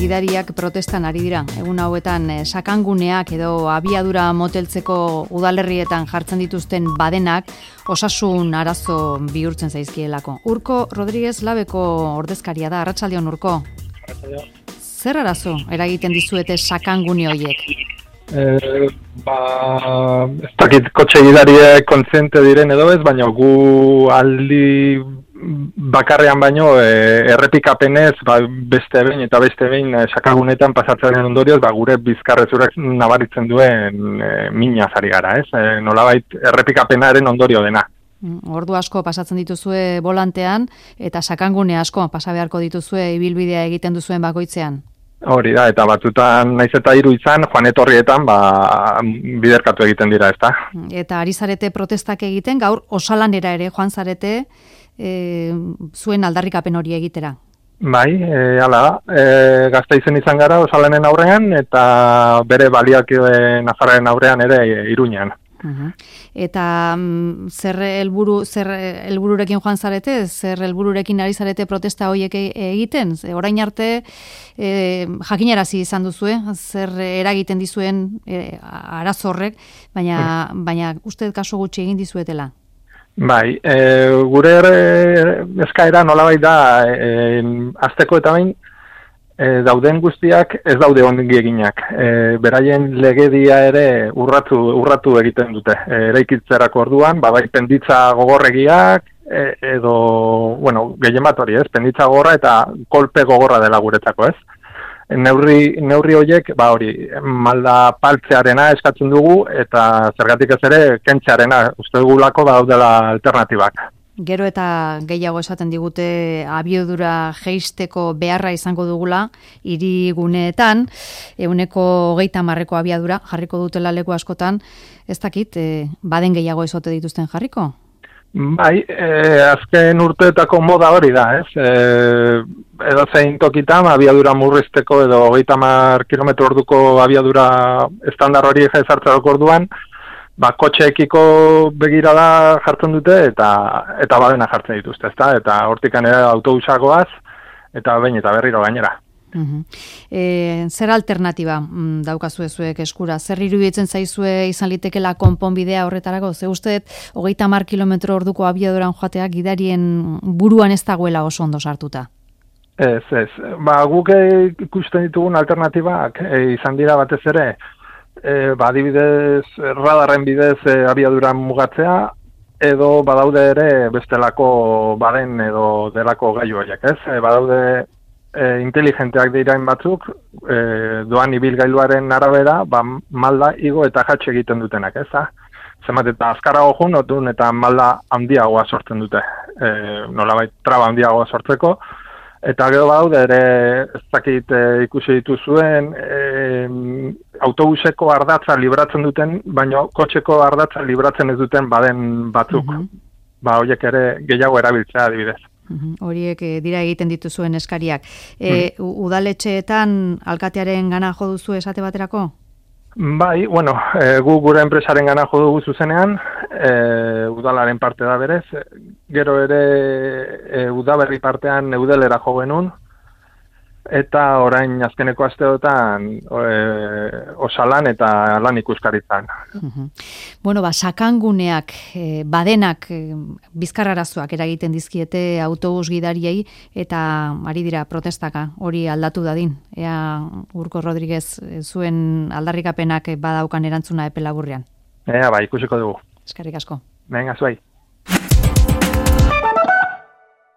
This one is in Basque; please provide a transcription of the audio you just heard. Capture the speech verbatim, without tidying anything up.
gidariak protestan ari dira. Egun hauetan eh, sakanguneak edo abiadura moteltzeko udalerrietan jartzen dituzten badenak osasun arazo bihurtzen zaizkielako. Urko Rodríguez Labeko ordezkaria da. Arratsaldeon, Urko. Arratsaldeon. Zer arazo eragiten dizuete sakangune horiek? Eh, ba, ez dakit kotxe gidariek kontziente diren edo ez, baina gu aldi bakarrean baino e, errepikapenez ba, beste behin eta beste behin e, sakagunetan pasatzen ondorioz ba, gure bizkarrezurak nabaritzen duen e, mina zari gara, ez? E, nolabait errepikapenaren ondorio dena. Ordu asko pasatzen dituzue volantean eta sakangune asko pasa beharko dituzue ibilbidea egiten duzuen bakoitzean. Hori da, eta batzutan naiz eta hiru izan, joan etorrietan ba, biderkatu egiten dira, ezta? Eta ari zarete protestak egiten, gaur osalanera ere joan zarete e, zuen aldarrikapen hori egitera. Bai, e, hala da, e, Gasteizen izan gara osalanen aurrean, eta bere baliakide Nafarraren aurrean ere e, Iruñean. Uh-huh. Eta mm, zer helburu zer helbururekin joan zarete, zer helbururekin ari zarete protesta horiek egiten? Orain arte e, jakinarazi izan duzue, zer eragiten dizuen e, arazo horrek, baina mm. baina uste kaso gutxi egin dizuetela. Bai, e, gure eskaera nolabait da e, hasteko eta bain E, dauden guztiak ez daude ongi eginak. E, beraien legedia ere urratu, urratu egiten dute. E, eraikitzerako orduan, babai penditza gogorregiak, e, edo, bueno, gehien bat hori ez, penditza gogorra eta kolpe gogorra dela guretzako ez. E, neurri, neurri horiek, ba hori, malda paltzearena eskatzen dugu, eta zergatik ez ere, kentzearena, uste dugulako daudela alternatibak. Gero eta gehiago esaten digute abiadura jeisteko beharra izango dugula hiriguneetan, ehuneko hogeita hamarreko abiadura jarriko dutela leku askotan, ez dakit, e, baden gehiago ezote dituzten jarriko? Bai, e, azken urteetako moda hori da, ez? E, edo zein tokitan abiadura murrizteko edo hogeita hamar kilometro orduko abiadura estandar hori ezartzeko orduan, ba, kotxeekiko begirada jartzen dute eta eta badena jartzen dituzte, ezta? Eta hortikan ere autobusagoaz eta behin eta berriro gainera. Uh-huh. E, zer alternatiba mm, daukazue zuek eskura? Zer iruditzen zaizue izan litekela konponbidea horretarako? Ze uste hogeita hamar kilometro orduko abiaduran joatea gidarien buruan ez dagoela oso ondo sartuta? Ez, ez. Ba, guk ikusten ditugun alternatibak e, izan dira batez ere E, ba, adibidez, radarren bidez e, abiadura mugatzea, edo badaude ere bestelako baden edo delako gailu horiek, ez? E, badaude e, inteligenteak dirain batzuk, e, doan ibilgailuaren arabera, ba, malda igo eta jatxe egiten dutenak, ez? Zenbat eta azkarago jun, otun eta malda handiagoa sortzen dute, e, nolabait traba handiagoa sortzeko, eta gero badaude ere, ez dakit e, ikusi dituzuen, e, autobuseko ardatza libratzen duten, baina kotxeko ardatza libratzen ez duten baden batzuk. Uh-huh. Ba, horiek ere gehiago erabiltzea adibidez. Uh-huh. Horiek e, dira egiten dituzuen eskariak. E, uh-huh. Udaletxeetan alkatearen gana jo duzu esate baterako? Bai, bueno, e, gu gure enpresaren gana jo dugu zuzenean, e, udalaren parte da berez, gero ere e, udaberri partean eudelera jo genuen, eta orain azkeneko asteotan e, osalan eta lan ikuskaritzan. Uh-huh. Bueno, ba, sakanguneak, e, badenak, e, bizkarrarazoak eragiten dizkiete autobus gidariei eta ari dira protestaka hori aldatu dadin. Ea Urko Rodríguez zuen aldarrikapenak badaukan erantzuna epe laburrean. Ea, ba, ikusiko dugu. Eskerrik asko. Venga, zuai.